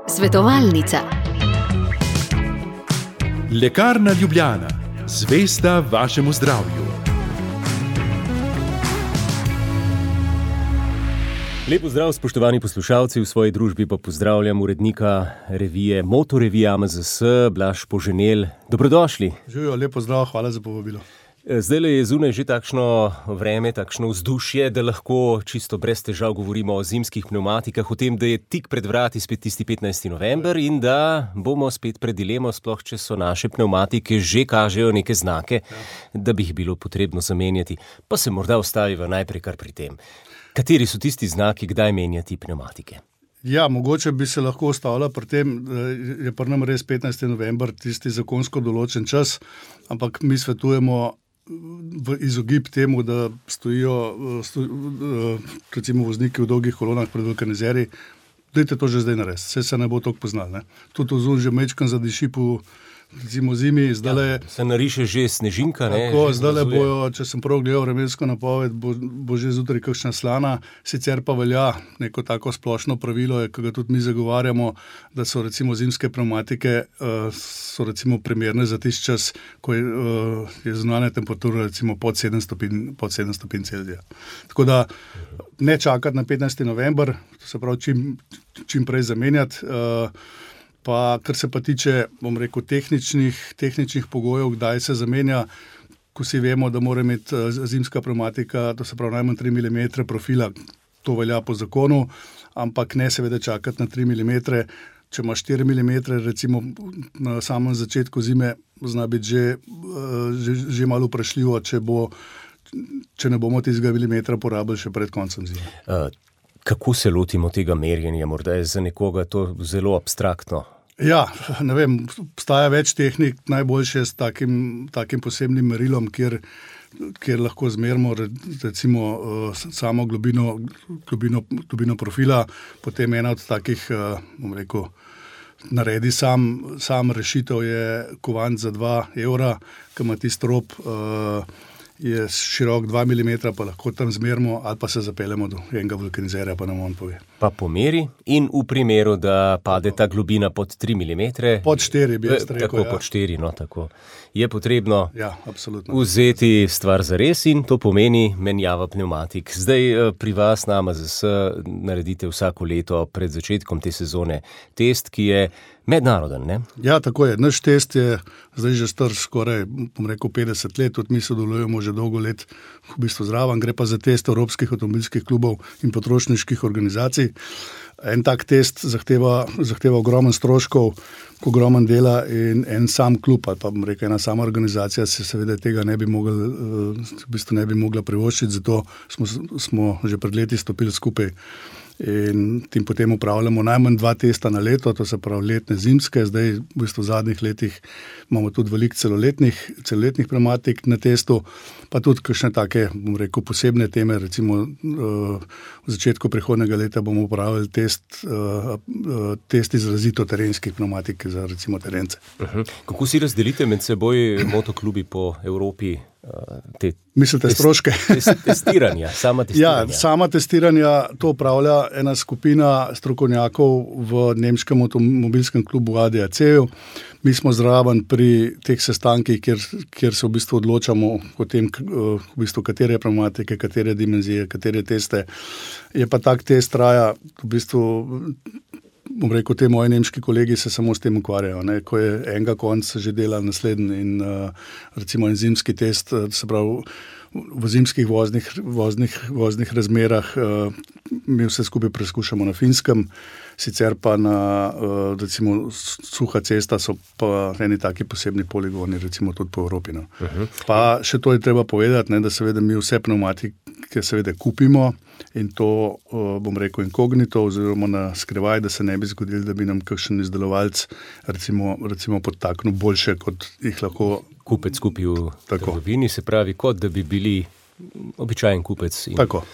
Svetovalnica. Lekarna Ljubljana, zvesta vašemu zdravju. Lep pozdrav, spoštovani poslušalci, v svoji družbi pa pozdravljam urednika revije Motorevije AMZS, Blaž Poženel. Dobrodošli. Živijo, lep pozdrav, hvala za povabilo. Zdajle je zunaj že takšno vreme, takšno vzdušje, da lahko čisto brez težav govorimo o zimskih pnevmatikah, o tem, da je tik pred vrati spet tisti 15. november in da bomo spet pred dilemo, sploh če so naše pnevmatike že kažejo neke znake, da bi jih bilo potrebno zamenjati. Pa se morda ustaviva najprej kar pri tem. Kateri so tisti znaki, kdaj menjati pnevmatike? Ja, mogoče bi se lahko ustavila pri tem, da je pri nam res 15. november tisti zakonsko določen čas, ampak mi svetujemo v izogib temu, da stojijo recimo vozniki v dolgih kolonah pred vulkanizerji. Dajte to že zdaj narediti, saj se ne bo toliko poznal. Ne? Tudi ozon že mečkan zadiši po recimo zimi. Se nariše že snežinka. Tako, zdajle bojo, če sem prav gledal vremensko napoved, bo že zjutraj kakšna slana, sicer pa velja neko tako splošno pravilo, ki ga tudi mi zagovarjamo, da so recimo zimske pnevmatike so recimo primerne za tisti čas, ko je zunanja temperatura recimo pod 7 stopinj Celzija. Tako da ne čakati na 15. november, to se pravi čim prej zamenjati. Pa kar se pa tiče, bom rekel, tehničnih pogojev, kdaj se zamenja, ko si vemo, da mora imeti zimska pnevmatika, to se pravi najmanj 3 mm profila, to velja po zakonu, ampak ne seveda čakati na 3 mm. Če ima 4 mm, recimo na samem začetku zime, zna biti že malo vprašljivo, če ne bomo tistega milimetra porabili še pred koncem zime. Kako se lotimo tega merjenja? Morda je za nekoga to zelo abstraktno. Ja, ne vem, obstaja več tehnik, najboljše s takim posebnim merilom, kjer lahko zmerimo recimo samo globino profila, potem ena od takih, bom rekel, naredi sam rešitev je kovanc za 2 evra, ki ima tisti rob, je širok 2 mm, pa lahko tam zmerimo ali pa se zapeljemo do enega vulkanizerja, pa nam on pove. Pa pomeri in v primeru, da pade ta globina pod 3 mm. Pod 4 bi jaz rekel. Tako, pod 4, no tako. Je potrebno vzeti stvar zares in to pomeni menjava pnevmatik. Zdaj pri vas na AMZS naredite vsako leto pred začetkom te sezone test, ki je mednaroden, ne? Ja, tako je. Naš test je zdaj že star skoraj, bom rekel, 50 let, tudi mi sodelujemo že dolgo let v bistvu zraven, gre pa za test evropskih avtomobilskih klubov in potrošniških organizacij. En tak test zahteva ogromen stroškov, ogromen dela in en sam klub, ali pa bom rekel, ena sama organizacija se seveda tega ne bi mogla privoščiti, zato smo že pred leti stopili skupaj in tim potem upravljamo najmanj 2 testa na leto, to se pravi letne, zimske. Zdaj v bistvu v zadnjih letih imamo tudi veliko celoletnih pnevmatik na testu, pa tudi kakšne take, bom rekel, posebne teme, recimo v začetku prihodnjega leta bomo upravili test izrazito terenskih pnevmatik za recimo terence. Kako si razdelite med seboj motoklubi po Evropi? Mislite stroške? Testiranja, sama testiranja. Ja, sama testiranja to upravlja ena skupina strokovnjakov v nemškem avtomobilskem klubu ADAC-ju. Mi smo zraven pri teh sestankih, kjer se v bistvu odločamo o tem, v bistvu, katere pnevmatike, katere dimenzije, katere teste. Je pa tak test traja, v bistvu, bom rekel, te moji nemški kolegi se samo s tem ukvarjajo, ne? Ko je enega konca že dela naslednji in recimo en zimski test, se pravi v zimskih voznih razmerah, mi vse skupaj preskušamo na Finskem, sicer pa na recimo suha cesta so pa eni taki posebni poligoni, recimo tudi po Evropi. No. Pa še to je treba povedati, ne, da seveda mi vse pnevmatike seveda kupimo in to, bom rekel, inkognito oziroma na skrivaj, da se ne bi zgodilo, da bi nam kakšen izdelovalec recimo podtaknil boljše, kot jih lahko kupec kupi v trgovini, se pravi, kot da bi bili običajen kupec in tako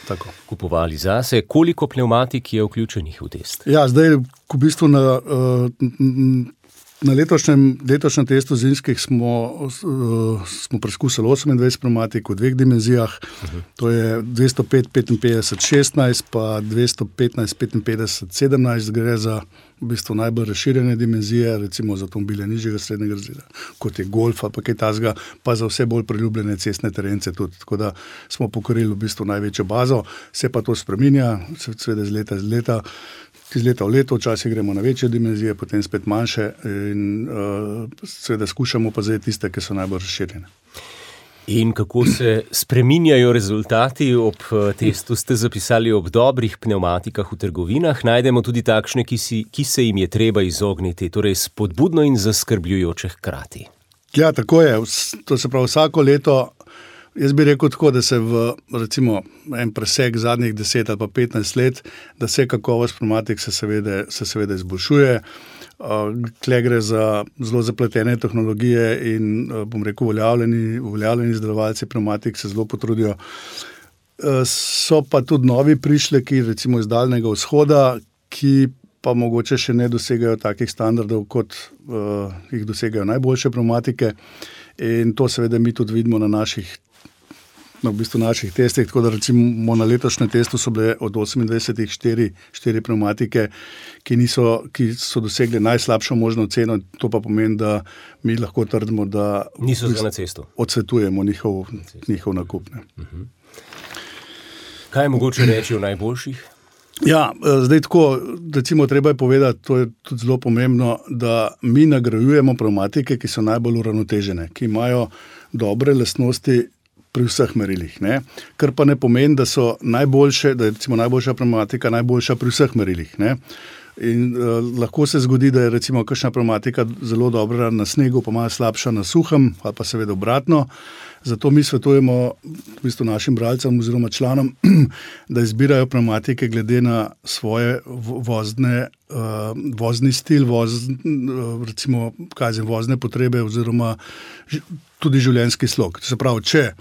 kupovali zase. Koliko pnevmatik je vključenih v test? Ja, zdaj v bistvu Na letošnjem testu zimskih smo preizkusili 28 pneumatik v 2 dimenzijah, to je 205, 55, 16, pa 215, 55, 17, gre za v bistvu najbolj razširjene dimenzije, recimo za avtomobile nižjega srednjega razreda, kot je Golf ali pa kaj takega, pa za vse bolj priljubljene cestne terence tudi, tako da smo pokorili v bistvu največjo bazo, se pa to spreminja, seveda iz leta v leto, včasih gremo na večje dimenzije, potem spet manjše in seveda skušamo pa zdaj tiste, ki so najbolj razširjene. In kako se spreminjajo rezultati? Ob testu ste zapisali, ob dobrih pneumatikah v trgovinah najdemo tudi takšne, ki se jim je treba izogniti, torej spodbudno in zaskrbljujoče hkrati. Ja, tako je. To se pravi vsako leto. Jaz bi rekel tako, da se v recimo en presek zadnjih 10 ali pa 15 let, da se kakovost pneumatik se seveda izboljšuje. Tle gre za zelo zapletene tehnologije in bom rekel, uveljavljeni izdelovalci pneumatik se zelo potrudijo. So pa tudi novi prišleki, recimo iz Daljnega vzhoda, ki pa mogoče še ne dosegajo takih standardov, kot jih dosegajo najboljše pneumatike. In to seveda mi tudi vidimo na naših testih, tako da recimo na letošnjem testu so bile od 28 4 pneumatike, ki so dosegli najslabšo možno ceno, to pa pomeni, da mi lahko trdimo, da niso na cestu. Odsvetujemo njihov nakup. Kaj je mogoče reči o najboljših? Ja, zdaj tako, recimo treba je povedati, to je tudi zelo pomembno, da mi nagrajujemo pneumatike, ki so najbolj uravnotežene, ki imajo dobre lastnosti pri vseh merilih, ne? Kar pa ne pomeni, da so najboljše, da je recimo najboljša pneumatika najboljša pri vseh merilih, ne? In lahko se zgodi, da je recimo kakšna pneumatika zelo dobra na snegu, pa malo slabša na suhem, ali pa seveda obratno. Zato mi svetujemo v bistvu našim bralcem oziroma članom, da izbirajo pneumatike glede na svoje vozni stil, recimo vozne potrebe oziroma tudi življenjski slog. To se pravi, če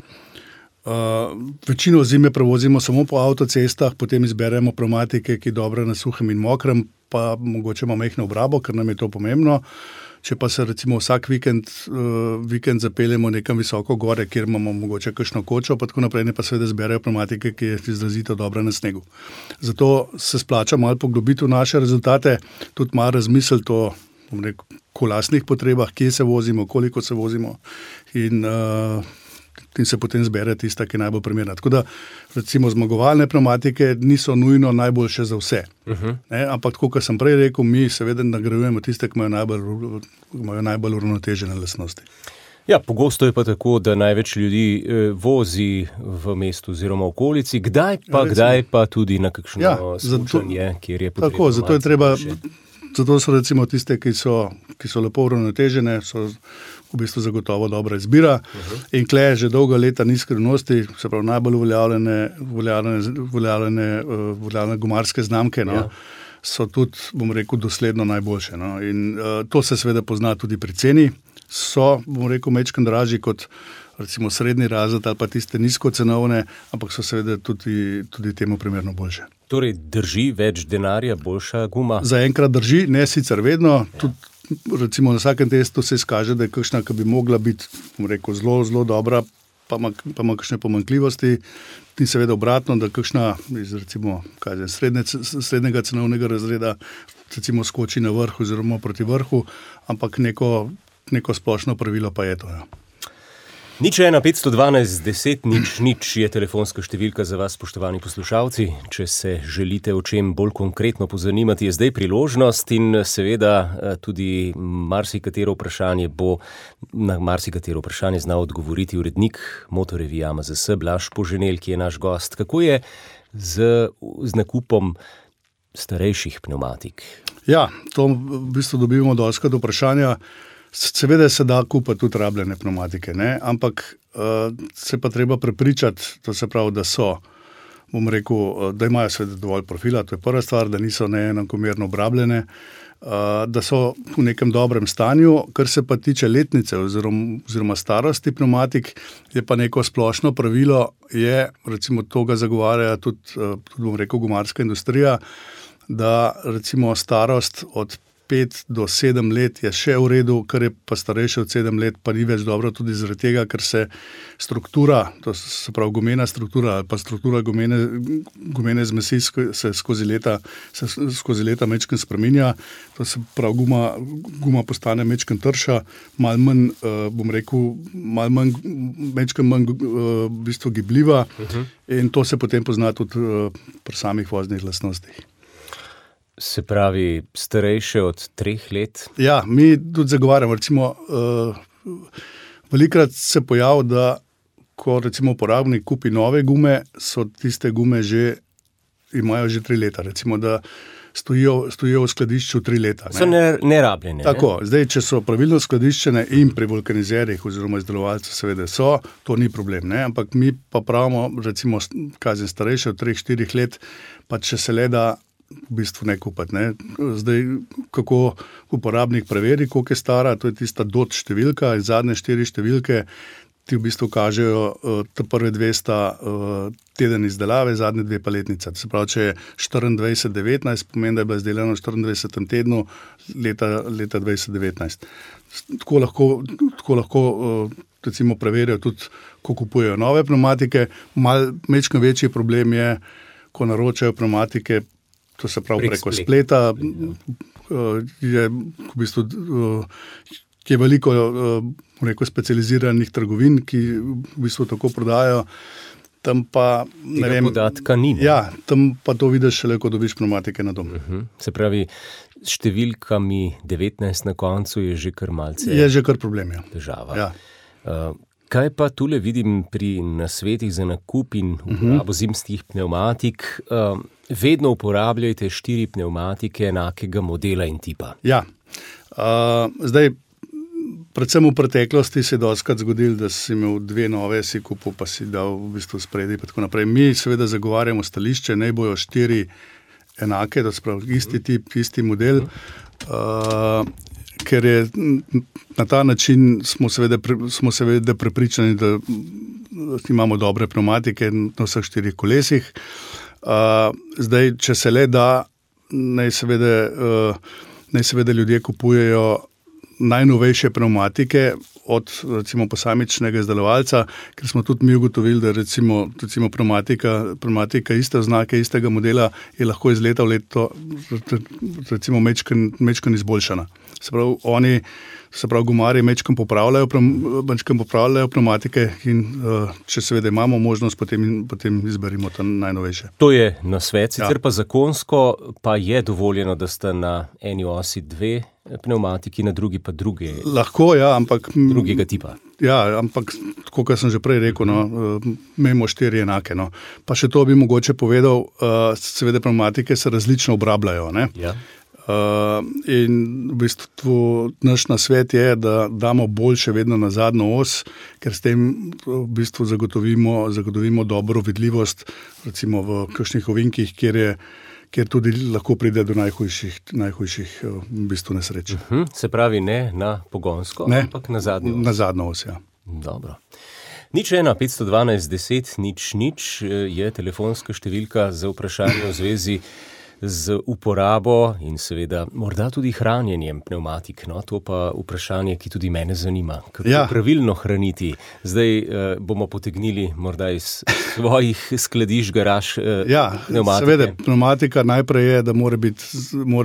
večino zime prevozimo samo po avtocestah, potem izberemo pneumatike, ki dobro na suhem in mokrem, pa mogoče ima majhno obrabo, ker nam je to pomembno. Če pa se recimo vsak vikend zapeljemo nekam visoko gore, kjer imamo mogoče kakšno kočo, pa tako naprej, pa seveda zberajo pneumatike, ki je izrazito dobra na snegu. Zato se splača malo poglobiti v naše rezultate, tudi malo razmisliti o lastnih potrebah, kje se vozimo, koliko se vozimo in se potem zbere tista, ki je najbolj primerna. Tako da recimo zmagovalne pneumatike niso nujno najboljše za vse. Ampak tako, kot sem prej rekel, mi seveda nagrajujemo tiste, ki imajo najbolj uravnotežene lastnosti. Ja, pogosto je pa tako, da največ ljudi vozi v mestu oziroma okolici, kdaj pa tudi na kakšno smučanje, kjer je potrebno. Tako, zato so recimo tiste, ki so lepo uravnotežene, so v bistvu zagotovo dobra izbira. In tle že dolga leta ni skrivnosti, se pravi najbolj uveljavljene gumarske znamke, so tudi, bom rekel, dosledno najboljše. In to se seveda pozna tudi pri ceni. So, bom rekel, majčkeno dražji kot recimo srednji razred ali pa tiste nizkocenovne, ampak so seveda tudi temu primerno boljše. Torej drži več denarja, boljša guma? Zaenkrat drži, ne sicer vedno. Tudi recimo na vsakem testu se izkaže, da je kakšna, ki bi mogla biti, bom rekel, zelo, zelo dobra, pa ima kakšne pomanjkljivosti. In seveda obratno, da kakšna iz recimo srednjega cenovnega razreda recimo skoči na vrh oziroma proti vrhu, ampak neko splošno pravilo pa je to. 01 512 10 0 je telefonska številka za vas, spoštovani poslušalci. Če se želite o čem bolj konkretno pozanimati, je zdaj priložnost in seveda tudi na marsikatero vprašanje znal odgovoriti urednik Motorevija MZS Blaž Poženel, ki je naš gost. Kako je z nakupom starejših pneumatik? Ja, to v bistvu dobivamo dostikrat vprašanja. Seveda se da kupiti tudi rabljene pneumatike, ne? Ampak se pa treba prepričati, to se pravi, da so, bom rekel, da imajo seveda dovolj profila, to je prva stvar, da niso neenakomerno obrabljene, da so v nekem dobrem stanju. Kar se pa tiče letnice oziroma starosti pneumatik, je pa neko splošno pravilo, recimo to ga zagovarja tudi bom rekel, gumarska industrija, da recimo starost od 5 do 7 let je še v redu, kar je pa starejše od 7 let, pa ni več dobro tudi zaradi tega, ker se struktura, to se pravi gumena struktura ali pa struktura gumene zmesi se skozi leta mečken spreminja, to se pravi guma postane mečken trša, malo manj, bom rekel, mečken manj v bistvu gibljiva in to se potem pozna tudi pri samih voznih lastnostih. Se pravi, starejše od 3 let? Ja, mi tudi zagovarjamo, recimo, velikrat se pojavi, da ko recimo uporabnik kupi nove gume, so tiste gume imajo že 3 leta, recimo, da stojijo v skladišču 3 leta. So nerabljene. Tako, zdaj, če so pravilno skladiščene in pri vulkanizerjih oziroma izdelovalcev seveda to ni problem, ne? Ampak mi pa pravimo, recimo, starejše od 3-4 let, pa če se le da v bistvu ne kupati. Ne? Zdaj, kako uporabnik preveri, koliko je stara, to je tista DOT številka in zadnje 4 številke, ti v bistvu kažejo, prve 2 sta teden izdelave, zadnje 2 pa letnica. Se pravi, če je 24-19, pomeni, da je bila izdelana v 24. tednu leta 2019. Tako lahko recimo preverijo tudi, ko kupujejo nove pneumatike. Majčkeno večji problem je, ko naročajo pneumatike, to se pravi preko spleta, je v bistvu je veliko specializiranih trgovin, ki v bistvu tako prodajajo, tam pa ne vem, podatka ni. Ja, tam pa to vidiš šele, ko dobiš pneumatike na dom. Se pravi, s številkami 19 na koncu je že kar malce. Je že kar problem, ja. Težava. Ja. Kaj pa tule vidim pri nasvetih za nakup in uporabo zimskih pneumatik? Vedno uporabljajte 4 pneumatike enakega modela in tipa. Ja, zdaj, predvsem v preteklosti se je dostikrat zgodilo, da si imel 2 nove, si kupil, pa si dal v bistvu spredaj in tako naprej. Mi seveda zagovarjamo stališče, naj bojo 4 enake, da se pravi isti tip, isti model, ker je na ta način smo seveda prepričani, da imamo dobre pneumatike na vseh 4 kolesih. Zdaj, če se le da, naj seveda ljudje kupujejo najnovejše pneumatike od recimo posamičnega izdelovalca, ker smo tudi mi ugotovili, da recimo pneumatika iste oznake, istega modela je lahko iz leta v leto recimo mečken izboljšana. Se pravi, gumarji mečken popravljajo pneumatike in če seveda imamo možnost, potem izberimo to najnovejše. To je nasvet, sicer pa zakonsko pa je dovoljeno, da sta na eni osi 2 pneumatiki, na drugi pa druge. Lahko, ja, ampak drugega tipa. Ja, ampak tako, kot sem že prej rekel, imamo 4 enake. Pa še to bi mogoče povedal, seveda pneumatike se različno obrabljajo, ne? Ja. In v bistvu naš nasvet je, da damo boljše vedno na zadnjo os, ker s tem v bistvu zagotovimo dobro vidljivost, recimo v kakšnih ovinkih, kjer tudi lahko pride do najhujših v bistvu nesreč. Se pravi, ne na pogonsko, ampak na zadnjo os. Na zadnjo os, ja. Dobro. 01 512 10 0 je telefonska številka za vprašanje v zvezi z uporabo in seveda morda tudi hranjenjem pneumatik. To pa vprašanje, ki tudi mene zanima. Kako pravilno hraniti? Zdaj bomo potegnili morda iz svojih skladišč, garaž pneumatike. Seveda, pneumatika najprej je, da mora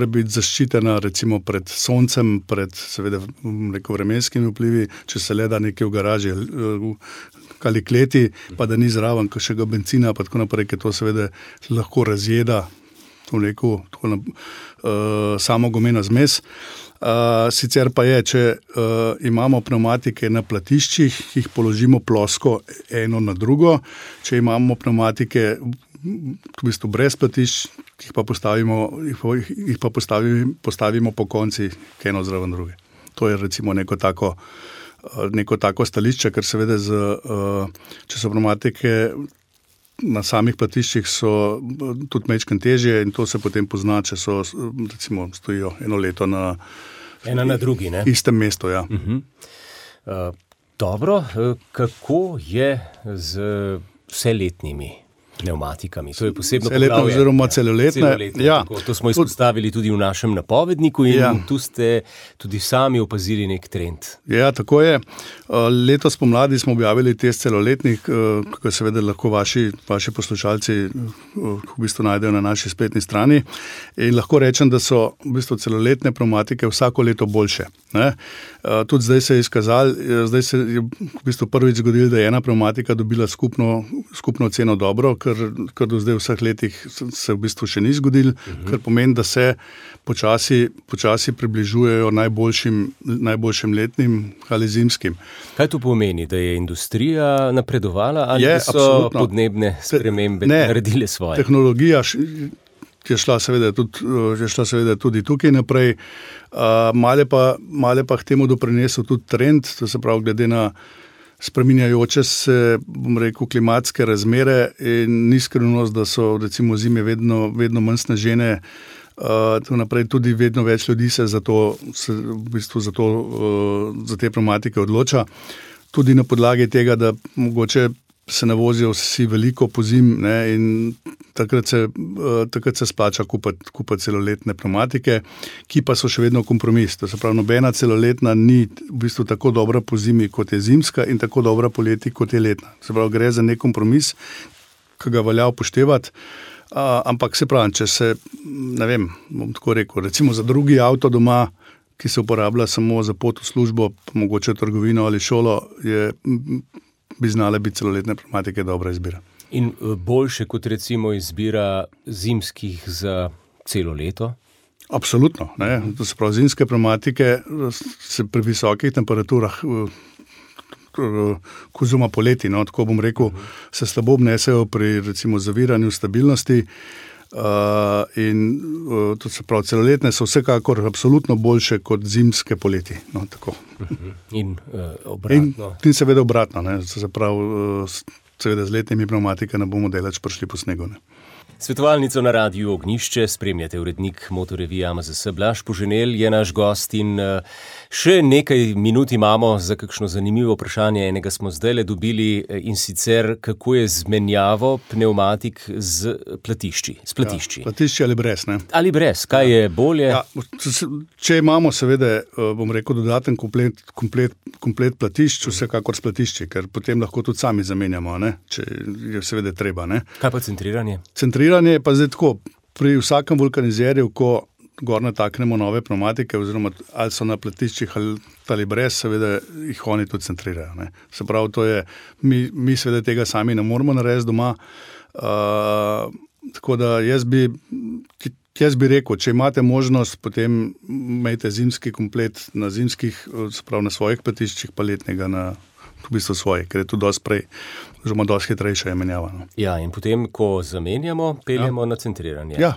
biti zaščitena recimo pred soncem, pred seveda vremenskimi vplivi, če se le da nekaj v garaži ali kleti, pa da ni zraven kakšnega bencina, pa tako naprej, ker to seveda lahko razjeda samo gumeno zmes. Sicer pa je, če imamo pneumatike na platiščih, jih položimo plosko eno na drugo, če imamo pneumatike v bistvu brez platišč, jih pa postavimo po koncih eno zraven druge. To je recimo neko tako stališče, ker seveda če so pneumatike na samih platiščih so tudi majčkeno težje in to se potem pozna, če so recimo stojijo 1 leto na drugi, ne? Istem mestu, ja. Dobro, kako je z vseletnimi pneumatikami. To je posebno celoletne oziroma celoletne. Ja. To smo izpostavili tudi v našem napovedniku in tu ste tudi sami opazili nek trend. Ja, tako je. Letos pomladi smo objavili test celoletnih, kako seveda lahko vaši poslušalci v bistvu najdejo na naši spletni strani. In lahko rečem, da so v bistvu celoletne pneumatike vsako leto boljše. Ne? Tudi zdaj se je izkazalo, zdaj se je v bistvu prvič zgodilo, da je ena pneumatika dobila skupno ceno dobro, kar do zdaj v vseh letih se v bistvu še ni zgodilo, kar pomeni, da se počasi približujejo najboljšim letnim ali zimskim. Kaj to pomeni, da je industrija napredovala ali da so absolutno podnebne spremembe naredile svoje? Tehnologija je šla seveda tudi tukaj naprej. Male pa k temu doprinesel tudi trend, to se pravi glede na spreminjajoče se, bom rekel, klimatske razmere in ni skrivnost, da so recimo zime vedno manj snežene, naprej tudi vedno več ljudi se za te pneumatike odloča. Tudi na podlagi tega, da mogoče se ne vozijo vsi veliko pozim, ne, in takrat se splača kupiti celoletne pneumatike, ki pa so še vedno kompromis. To se pravi, nobena celoletna ni v bistvu tako dobra pozimi, kot je zimska, in tako dobra poleti, kot je letna. Se pravi, gre za nek kompromis, ki ga velja upoštevati. Ampak se pravi, če se, ne vem, bom tako rekel, recimo za drugi avto doma, ki se uporablja samo za pot v službo, pa mogoče trgovino ali šolo, bi znale biti celoletne pneumatike dobra izbira. In boljše kot recimo izbira zimskih za celo leto? Absolutno. Ne? To se pravi, zimske pneumatike se pri visokih temperaturah, oziroma poleti, no, tako bom rekel, se slabo obnesejo pri recimo zaviranju stabilnosti. In to se pravi, celoletne so vsekakor absolutno boljše kot zimske poleti. No, tako. In obratno. In seveda obratno. Ne. Se pravi, seveda z letnimi pneumatikami ne bomo daleč prišli po snegu. Ne. Svetovalnico na Radiu Ognjišče spremljate urednik Motorevije AMZS Blaž Poženel, je naš gost in še nekaj minut imamo za kakšno zanimivo vprašanje. Enega smo zdajle dobili in sicer, kako je z menjavo pneumatik z platišči. Ja, platišči ali brez, ne? Ali brez, kaj je bolje? Ja, če imamo seveda, bom rekel, dodaten komplet platišč, vsekakor s platišči, ker potem lahko tudi sami zamenjamo, ne? Če je seveda treba. Ne? Kaj pa centriranje? Centriranje je pa zdaj tako, pri vsakem vulkanizerju, ko gor nataknemo nove pneumatike, oziroma ali so na platiščih ali brez, seveda jih oni tudi centrirajo. Ne. Se pravi, to je, mi seveda tega sami ne moramo narediti doma, tako da jaz bi rekel, če imate možnost, potem imejte zimski komplet na zimskih, se pravi na svojih platiščih, pa letnega na v bistvu svoje, ker je to dosti prej, oziroma dosti hitrejša je menjava. No. Ja, in potem, ko zamenjamo, peljemo na centriranje. Ja.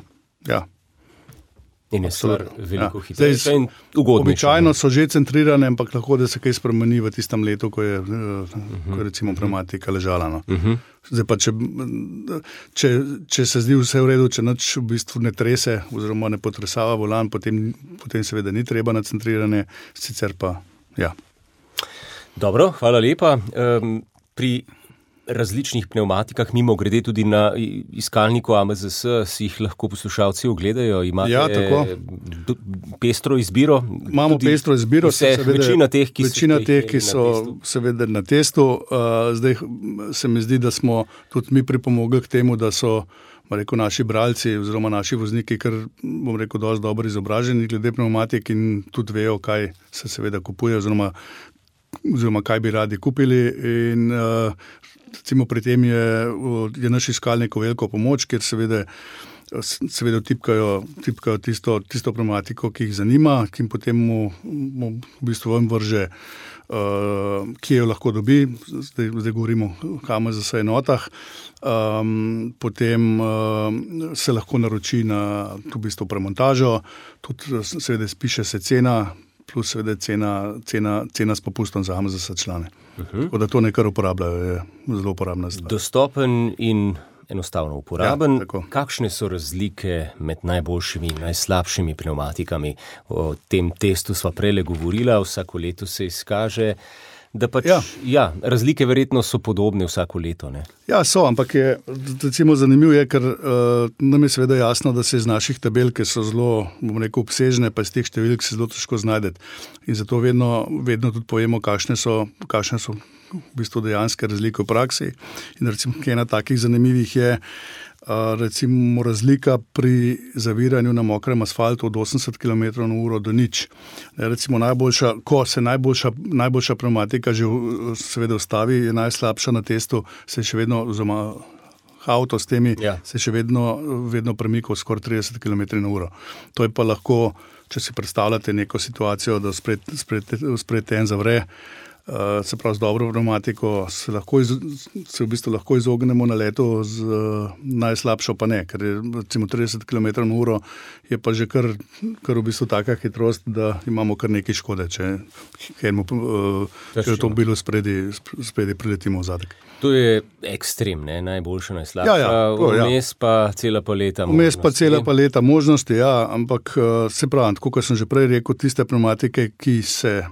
In je stvar veliko hitrejša in ugodnejša. Običajno so že centrirane, ampak lahko, da se kaj spremeni v tistem letu, ko je recimo pneumatika ležala. No. Zdaj pa, če se zdi vse v redu, če nič v bistvu ne trese, oziroma ne potresava volan, potem seveda ni treba na centriranje, sicer pa ja. Dobro, hvala lepa. Pri različnih pneumatikah, mimo grede tudi na iskalniku AMZS, si jih lahko poslušalci ogledajo. Imate pestro izbiro? Imamo pestro izbiro. Večina teh, ki so seveda na testu. Zdaj se mi zdi, da smo tudi mi pripomogli k temu, da so naši bralci oziroma naši vozniki, ker bom rekel, dosti dobro izobraženi glede pneumatik in tudi vejo, kaj se seveda kupuje oziroma kaj bi radi kupili, in recimo pri tem je naš iskalnik veliko pomoč, ker seveda tipkajo tisto pneumatiko, ki jih zanima, ki jim potem v bistvu vam vrže, kje jo lahko dobi, zdaj govorimo o AMZS enotah, potem se lahko naroči na v bistvu premontažo, tudi seveda spiše se cena, plus seveda cena s popustom za AMZS člane. Tako da to nekaj uporabljajo, je zelo uporabna stvar. Dostopen in enostavno uporaben. Ja, kakšne so razlike med najboljšimi in najslabšimi pneumatikami? O tem testu sva prejle govorila, vsako leto se izkaže da pač, razlike verjetno so podobne vsako leto, ne? Ja, so, ampak je, recimo, zanimivo je, ker nam je seveda jasno, da se iz naših tabel, ki so zelo, bom rekel, obsežne, pa iz teh številk se zelo težko znajdeti. In zato vedno tudi povemo, kakšne so v bistvu dejanske razlike v praksi. In recimo, ena takih zanimivih je, recimo razlika pri zaviranju na mokrem asfaltu od 80 km/h do nič. Recimo ko se najboljša pneumatika že seveda ustavi, je najslabša na testu, se še vedno, oziroma avto s temi, se še vedno premikal skoraj 30 km/h. To je pa lahko, če si predstavljate neko situacijo, da spred en zavre, se pravi z dobro pneumatiko, se v bistvu lahko izognemo na letu, z najslabšo pa ne, ker je recimo 30 km/h je pa že kar v bistvu taka hitrost, da imamo kar nekaj škode, če avtomobilu spredi priletimo v zadek. To je ekstrem, ne? Najboljša, najslabša, vmes pa cela paleta možnosti. Vmes pa cela paleta možnosti, ampak se pravi, tako kot sem že prej rekel, tiste pneumatike, ki se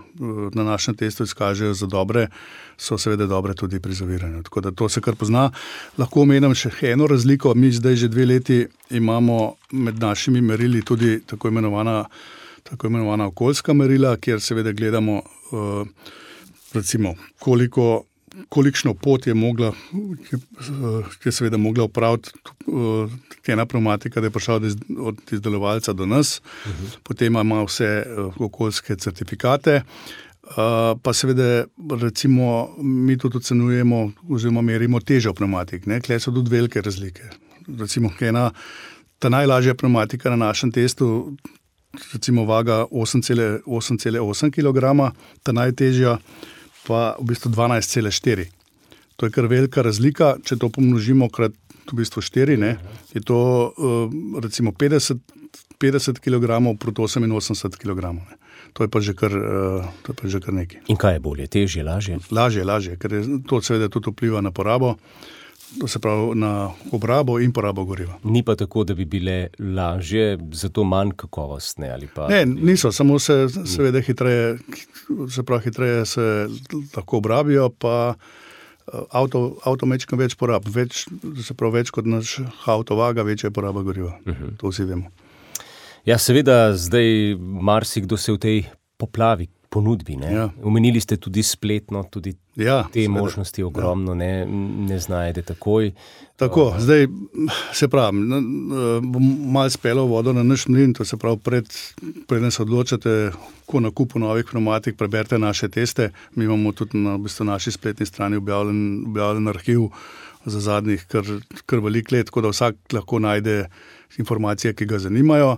na našem testu izkažejo za dobre, so seveda dobre tudi pri zaviranju. Tako da to se kar pozna. Lahko omenim še eno razliko. Mi zdaj že 2 leti imamo med našimi merili tudi tako imenovana okoljska merila, kjer seveda gledamo recimo kolikšno pot je seveda mogla opraviti ena pneumatika, da je prišla od izdelovalca do nas. Potem ima vse okoljske certifikate. Pa seveda recimo mi tudi ocenjujemo oziroma merimo težo pneumatik. Tukaj so tudi velike razlike. Recimo ta najlažja pneumatika na našem testu recimo vaga 8,8 kg, ta najtežja pa v bistvu 12,4. To je kar velika razlika, če to pomnožimo krat v bistvu 4, je to recimo 50 kg proti 88 kg. To je pa že kar nekaj. In kaj je bolje, težje, lažje? Lažje, ker to seveda tudi vpliva na porabo, to se pravi na obrabo in porabo goriva. Ni pa tako, da bi bile lažje, zato manj kakovostne ali pa... Ne, niso, samo se seveda hitreje se lahko obrabijo, pa avto mečkam več porab, več kot naš avto vaga, večja je poraba goriva. To vsi vemo. Ja, seveda, zdaj marsikdo se v tej poplavi ponudbi, ne? Ja. Omenili ste tudi spletno, tudi te možnosti ogromno, ne znajde takoj. Tako, zdaj se pravi, bom malo spelo vodo na naš mlin, to se pravi, preden se odločate, ko nakupu novih pneumatik, preberite naše teste. Mi imamo tudi na naši spletni strani objavljen arhiv za zadnjih kar veliko let, tako da vsak lahko najde informacije, ki ga zanimajo.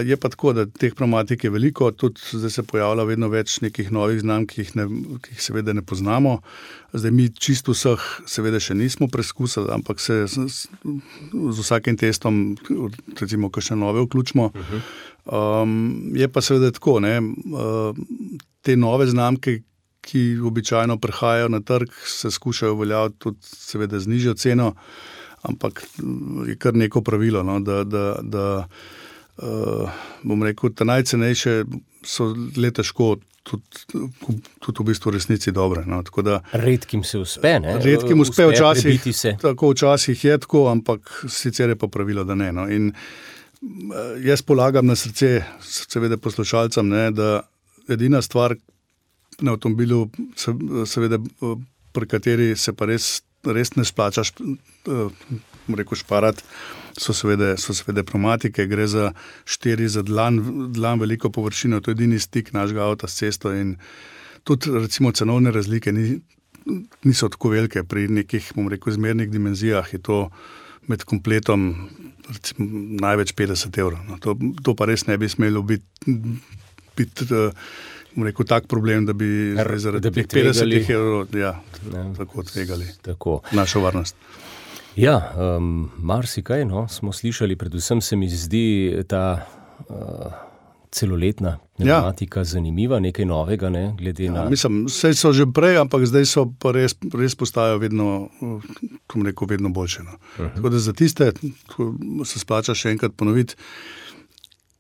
Je pa tako, da teh pneumatik je veliko, tudi zdaj se pojavlja vedno več nekih novih znamk, ki jih seveda ne poznamo. Zdaj mi čisto vseh seveda še nismo preskusili, ampak se z vsakim testom recimo kakšne nove vključimo. Je pa seveda tako, te nove znamke, ki običajno prihajajo na trg, se skušajo uveljaviti tudi seveda z nižjo ceno, ampak je kar neko pravilo, da bom rekel, ta najcenejše so le težko tudi v bistvu resnici dobre. Tako da, redkim se uspe, ne? Redkim uspe včasih je tako, ampak sicer je pa pravilo, da ne. In jaz polagam na srce seveda poslušalcem, da edina stvar na avtomobilu, seveda, pri kateri se pa res ne splača šparati, so seveda pneumatike, gre za 4 za dlan veliko površino, to je edini stik našega avta s cesto in tudi recimo cenovne razlike niso tako velike, pri nekih, bom rekel, zmernih dimenzijah je to med kompletom recimo največ 50 €. To pa res ne bi smelo biti bom rekel, tak problem, da bi zaradi 50 € tako tvegali našo varnost. Ja, marsikaj, smo slišali, predvsem se mi zdi ta celoletna pneumatika zanimiva, nekaj novega, glede na... Mislim, vse so že prej, ampak zdaj so pa res postajajo vedno boljše. Tako da za tiste, se splača še enkrat ponoviti,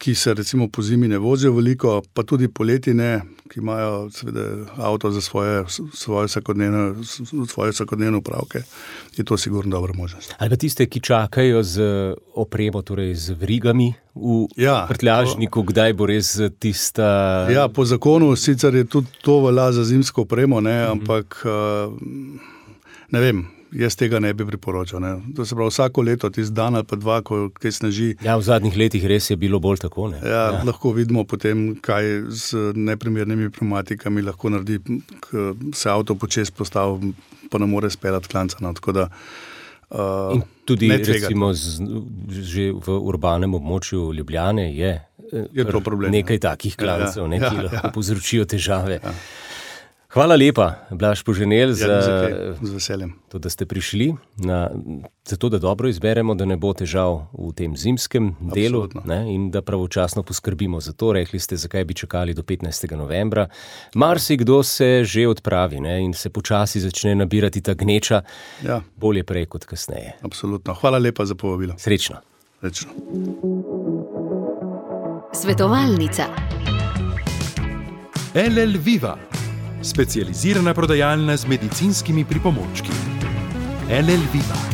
ki se recimo po zimi ne vozijo veliko, pa tudi poleti ne, ki imajo seveda avto za svoje vsakodnevne upravke, je to sigurno dobra možnost. Ali pa tiste, ki čakajo z opremo, torej z vrigami v prtljažniku, kdaj bo res tista... Ja, po zakonu sicer je tudi to velja za zimsko opremo, ne, ampak ne vem, jaz tega ne bi priporočal. Ne. To se pravi, vsako leto, tisti dan ali pa dva, ko kaj sneži. Ja, v zadnjih letih res je bilo bolj tako. Ne? Ja, lahko vidimo potem, kaj z neprimernimi pneumatikami lahko naredi, ko se avto počez postavi, pa ne more speljati klanca. No. Tako da, in tudi recimo že v urbanem območju Ljubljane je to problem, nekaj takih klancev, ki lahko povzročijo težave. Ja. Hvala lepa, Blaž Poženel, z veseljem. To, da ste prišli, za to, da dobro izberemo, da ne bo težav v tem zimskem delu, ne, in da pravočasno poskrbimo za to. Rekli ste, zakaj bi čakali do 15. novembra. Marsikdo se že odpravi, ne, in se počasi začne nabirati ta gneča, bolje prej kot kasneje. Absolutno. Hvala lepa za povabilo. Srečno. Srečno. Svetovalnica. LL Viva. Specializirana prodajalna z medicinskimi pripomočki. LL Viva.